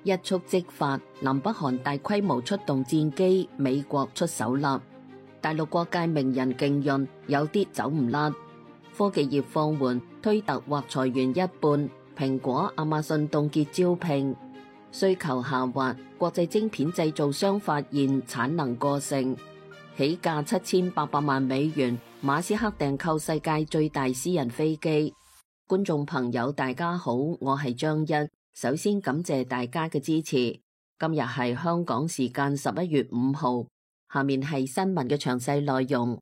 一觸即發，南北韓大規模出動戰機，美國出手啦。大陸各界名人競潤，有啲走唔甩。科技業放緩，推特或裁員一半，蘋果、亞馬遜凍結招聘。需求下滑，國際晶片製造商發現產能過剩。起價7800萬美元，馬斯克訂購世界最大私人飛機。觀眾朋友大家好，我係張一，首先感謝大家嘅支持。今日係香港時間11月5號，下面係新聞嘅詳細內容。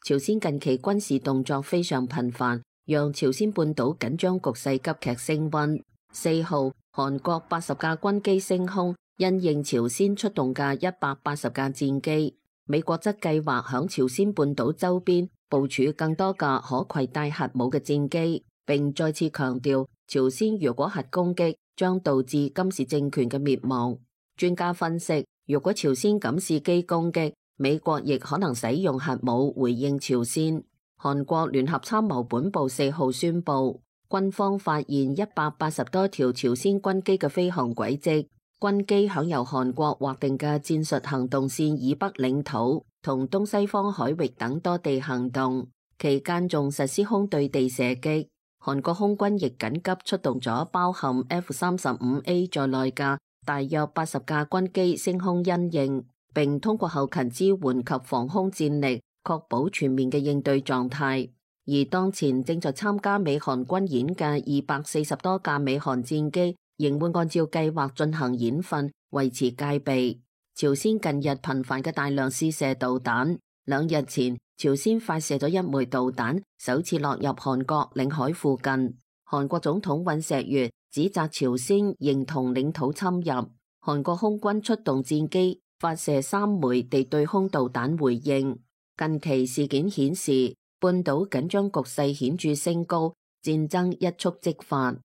朝鮮近期軍事動作非常頻繁，讓朝鮮半島緊張局勢急劇升溫。4號，韓國80架軍機升空，因應朝鮮出動嘅180架戰機。美國則計劃響朝鮮半島周邊部署更多架可攜帶核武嘅戰機，並再次強調朝鮮如果核攻擊，將導致金氏政權嘅滅亡。專家分析，如果朝鮮敢伺機攻擊，美國亦可能使用核武回應朝鮮。韓國聯合參謀本部4號宣布，軍方發現180多條朝鮮軍機嘅飛行軌跡，軍機享由韓國劃定嘅戰術行動線以北領土同東西方海域等多地行動，期間仲實施空對地射擊。韓國空軍亦緊急出動咗包含 F-35A 在內嘅大約80架軍機升空因應，並通過後勤支援及防空戰力，確保全面嘅應對狀態。而當前正在參加美韓軍演嘅240多架美韓戰機，仍會按照計劃進行演訓，維持戒備。朝鮮近日頻繁嘅大量試射導彈，2日前朝鮮發射咗1枚導彈，首次落入韓國領海附近。韓國總統尹錫悅指責朝鮮認同領土侵入，韓國空軍出動戰機發射3枚地對空導彈回應。近期事件顯示，半島緊張局勢顯著升高，戰爭一觸即發。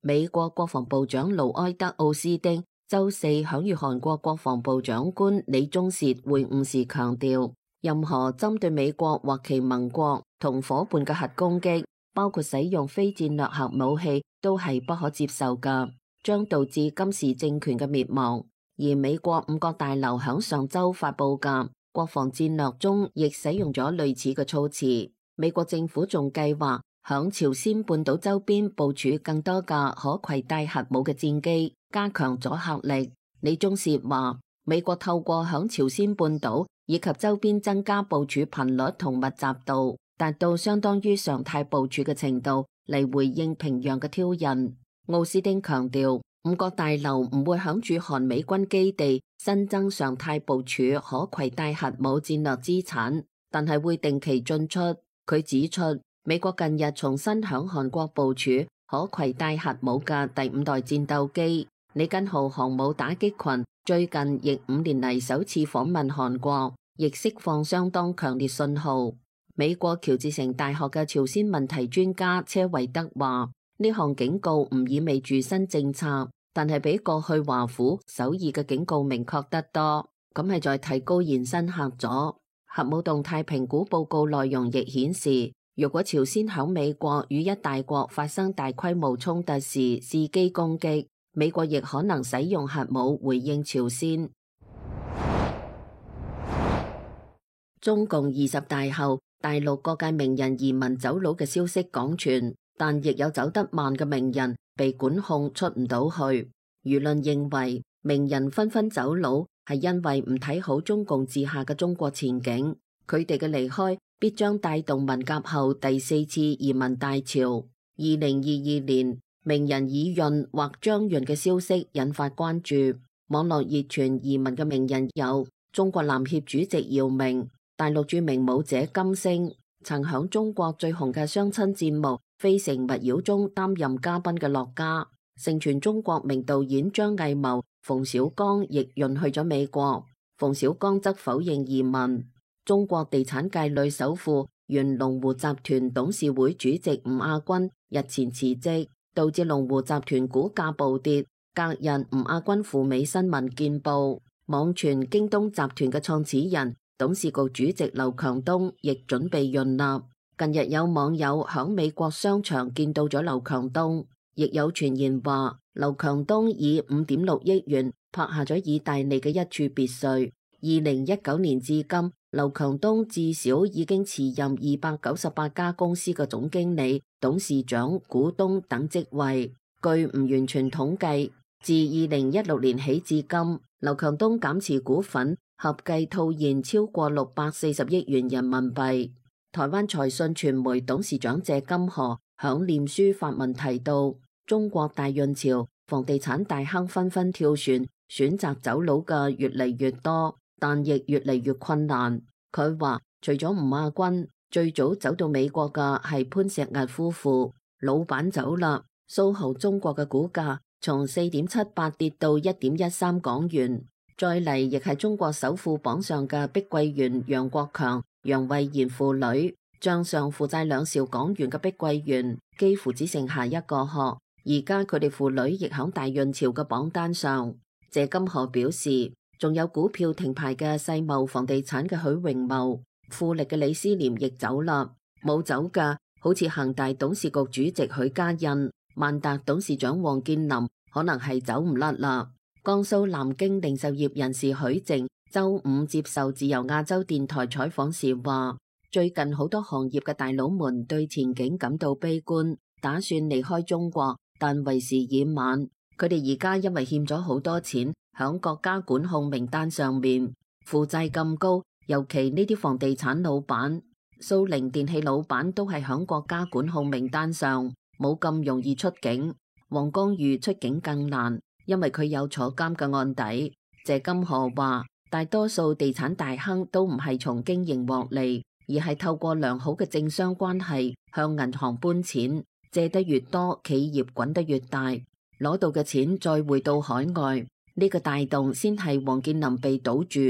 美國國防部長盧埃德奧斯丁周四響與韓國國防部長官李鐘燮會晤時強調，任何針對美國或其盟國同夥伴嘅核攻擊，包括使用非戰略核武器，都係不可接受㗎，將導致金氏政權嘅滅亡。而美國5角大樓響上周發佈嘅國防戰略中，亦使用咗類似嘅措辭。美國政府仲計劃響朝鮮半島周邊部署更多架可攜帶核武嘅戰機，加強阻嚇力。李鐘燮話，美國透過響朝鮮半島以及周邊增加部署頻率同密集度，達到相當於常態部署嘅程度，嚟回應平壤嘅挑釁。奧斯丁強調，5角大樓唔會響駐韓美軍基地新增常態部署可攜帶核武戰略資產，但係會定期進出。佢指出，美國近日重新響韓國部署可攜帶核武嘅第5代戰鬥機里根號航母打擊群，最近亦5年嚟首次訪問韓國，亦釋放相當強烈信號。美國喬治城大學嘅朝鮮問題專家車維德話，呢項警告唔意味住新政策，但係比過去華府、首爾嘅警告明確得多，咁係在提高延伸嚇阻。核武動態評估報告內容亦顯示，如果朝鮮響美國與一大國發生大規模衝突時伺機攻擊，美國亦可能使用核武回應朝鮮。中共20大後，大陸各界名人移民走佬嘅消息廣傳，但亦有走得慢嘅名人被管控出唔到去。輿論認為，名人紛紛走佬係因為唔睇好中共治下嘅中國前景，佢哋嘅離開必將帶動文革後第4次移民大潮。2022年，名人以潤或張潤嘅消息引發關注。網絡熱傳移民嘅名人有中國籃協主席姚明、大陸著名舞者金星，曾響中國最紅嘅相親節目《非誠勿擾》中擔任嘉賓嘅樂嘉，盛傳中國名導演張藝謀、馮小剛亦潤去咗美國，馮小剛則否認移民。中國地產界女首富、原龍湖集團董事會主席吳亞軍日前辭職，導致龍湖集團股價暴跌。隔日，吳亞軍赴美新聞見報。網傳京東集團嘅創始人、董事局主席劉強東亦準備潤納。近日有網友響美國商場見到咗劉強東，亦有傳言話劉強東以5.6億元拍下咗意大利嘅一處別墅。2019年至今，劉強東至少已經辭任298家公司嘅總經理、董事長、股東等職位。據唔完全統計，自2016年起至今，劉強東減持股份合計套現超過640億元人民幣。台灣財訊傳媒董事長謝金河響臉書發文提到，中國大潤潮，房地產大亨紛紛跳船，選擇走佬嘅越嚟越多，但亦越嚟越困難。佢話除咗吳亞軍，最早走到美國嘅係潘石屹夫婦，老闆走啦。蘇豪中國嘅股價從4.78跌到1.13港元。再嚟亦係中國首富榜上嘅碧桂園楊國強、楊惠妍父女，賬上負債2兆港元嘅碧桂園幾乎只剩下一個殼。而家佢哋父女亦響大潤潮嘅榜單上。謝金河表示，仲有股票停牌嘅世茂房地產嘅許榮茂、富力嘅李思廉亦走啦。冇走嘅好似恒大董事局主席許家印、萬達董事長王健林可能係走唔甩啦。江蘇南京零售業人士許靜周五接受自由亞洲電台採訪時話，最近好多行業嘅大佬們對前景感到悲觀，打算離開中國，但為時已晚。佢哋而家因為欠咗好多錢，響國家管控名單上面，負債咁高，尤其呢啲房地產老闆、蘇寧電器老闆都係響國家管控名單上，冇咁容易出境。黃光裕出境更難，因為佢有坐監嘅案底。謝金河話，大多數地產大亨都唔係從經營獲利，而係透過良好嘅政商關係向銀行搬錢，借得越多，企業滾得越大，攞到嘅錢再匯到海外，呢個帶動先係王健林被堵住，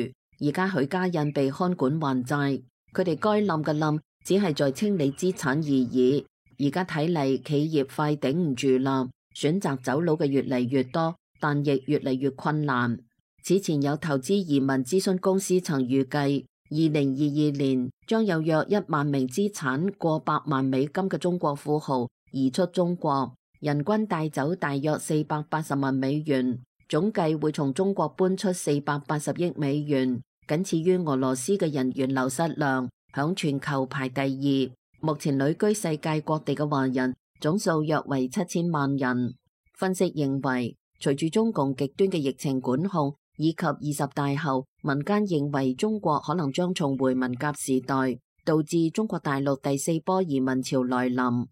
而家許家印被看管還債，佢哋該冧嘅冧，只係在清理資產而已。而家睇嚟，企業快頂唔住啦，選擇走佬嘅越嚟越多，但亦越嚟越困難。此前有投資移民諮詢公司曾預計，2022年將有約1萬名資產過100萬美金嘅中國富豪移出中國，人均帶走大約480萬美元，總計會從中國搬出480億美元，僅次於俄羅斯嘅人員流失量，響全球排第2。目前旅居世界各地嘅華人總數約為7000萬人。分析認為，隨住中共極端嘅疫情管控以及20大後，民間認為中國可能將重回文革時代，導致中國大陸第4波移民潮來臨。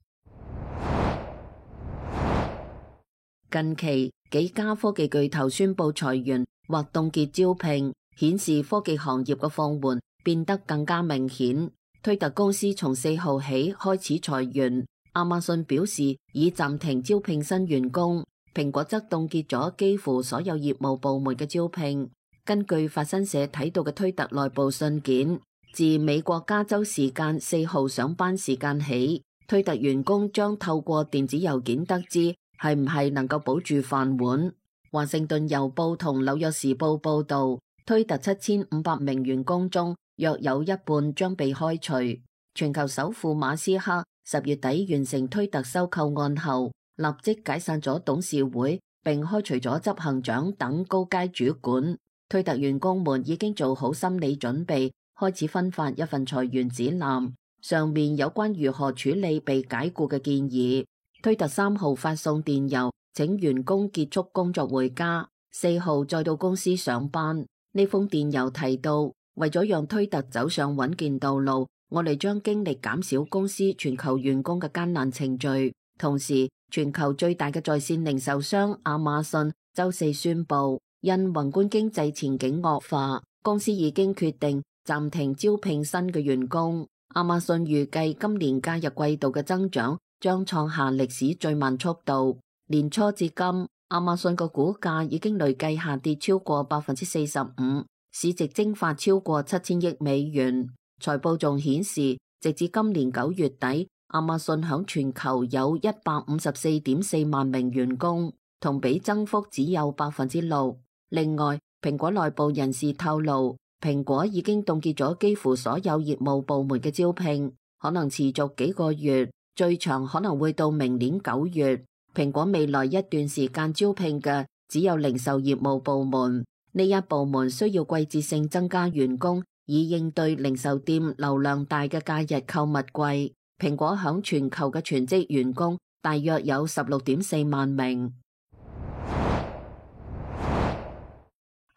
近期幾家科技巨頭宣布裁員或凍結招聘，顯示科技行業嘅放緩變得更加明顯。推特公司從4號起開始裁員，亞馬遜表示已暫停招聘新員工，蘋果則凍結咗幾乎所有業務部門嘅招聘。根據法新社睇到嘅推特內部信件，自美國加州時間4號上班時間起，推特員工將透過電子郵件得知係唔係能夠保住飯碗。華盛頓郵報同紐約時報報道，推特7500名員工中，約有一半將被開除。全球首富馬斯克10月底完成推特收購案後，立即解散咗董事會，並開除咗執行長等高階主管。推特員工們已經做好心理準備，開始分發一份裁員指南，上面有關如何處理被解雇嘅建議。推特3號發送電郵，請員工結束工作回家，4號再到公司上班。呢封電郵提到，為咗讓推特走上穩健道路，我哋將經歷減少公司全球員工嘅艱難程序。同時，全球最大嘅在線零售商亞馬遜週4宣布，因宏觀經濟前景惡化，公司已經決定暫停招聘新嘅員工。亞馬遜預計今年假日季度嘅增長將創下歷史最慢速度。年初至今，亞馬遜個股價已經累計下跌超過45%。市值蒸發超過7000億美元。財報仲顯示，直至今年9月底，亞馬遜響全球有154.4萬名員工，同比增幅只有6%。另外，蘋果內部人士透露，蘋果已經凍結咗幾乎所有業務部門嘅招聘，可能持續幾個月，最長可能會到明年9月。蘋果未來一段時間招聘嘅只有零售業務部門，呢一部門需要季節性增加員工，以應對零售店流量大嘅假日購物季。蘋果響全球嘅全職員工大約有16.4萬名。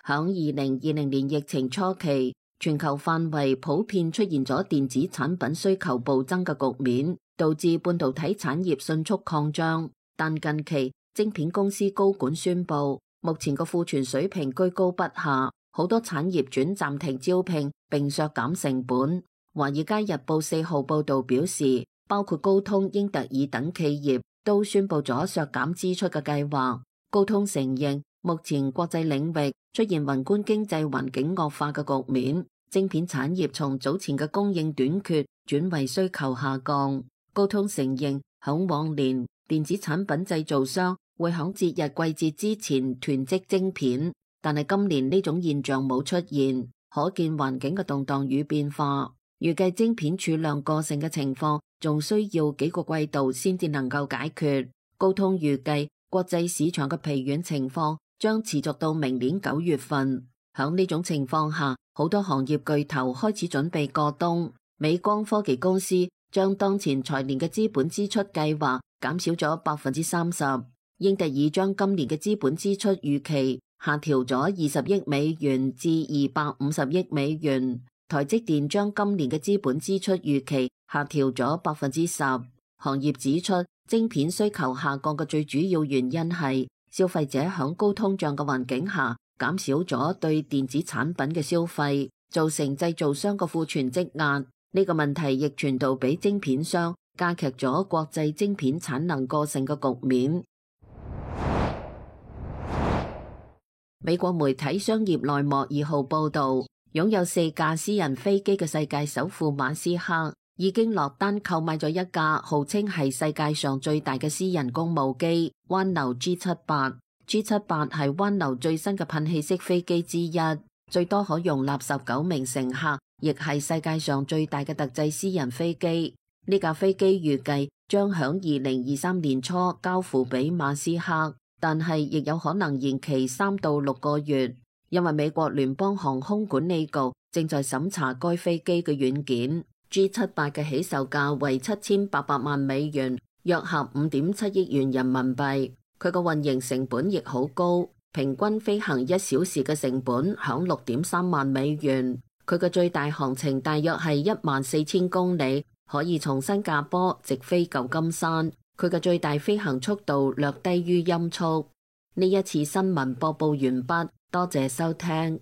響2020年疫情初期，全球範圍普遍出現咗電子產品需求暴增嘅局面，導致半導體產業迅速擴張。但近期晶片公司高管宣布，目前個庫存水平居高不下，好多產業轉暫停招聘並削減成本。華爾街日報4號報道表示，包括高通、英特爾等企業都宣布咗削減支出嘅計劃。高通承認，目前國際領域出現宏觀經濟環境惡化嘅局面，晶片產業從早前嘅供應短缺轉為需求下降。高通承認，響往年電子產品製造商會響節日季節之前囤積晶片，但係今年呢種現象冇出現，可見環境嘅動盪與變化。預計晶片儲量過剩嘅情況仲需要幾個季度先至能夠解決。高通預計國際市場嘅疲軟情況將持續到明年9月份。響呢種情況下，好多行業巨頭開始準備過冬。美光科技公司將當前財年嘅資本支出計劃減少咗30%。英特爾將今年嘅資本支出預期下調咗20億美元至250億美元。台積電將今年嘅資本支出預期下調咗10%。行業指出，晶片需求下降嘅最主要原因係消費者響高通脹嘅環境下減少咗對電子產品嘅消費，造成製造商嘅庫存積壓。呢個問題亦傳導俾晶片商，加劇咗國際晶片產能過剩嘅局面。美國媒體商業內幕2號報導，擁有4架私人飛機嘅世界首富馬斯克已經落單購買咗一架號稱係世界上最大嘅私人公務機灣流 G78。G78 係灣流最新嘅噴氣式飛機之一，最多可容納19名乘客，亦係世界上最大嘅特製私人飛機。呢架飛機預計將響2023年初交付俾馬斯克，但係亦有可能延期3到6個月。因為美國聯邦航空管理局正在審查該飛機嘅軟件。G78 嘅起售價為7800萬美元，約合5.7億元人民幣。佢個運營成本亦好高，平均飛行1小時嘅成本響6.3萬美元。佢嘅最大航程大約係14000公里，可以從新加坡直飛舊金山。佢嘅最大飛行速度略低於音速。呢一次新聞播報完畢。多謝收聽。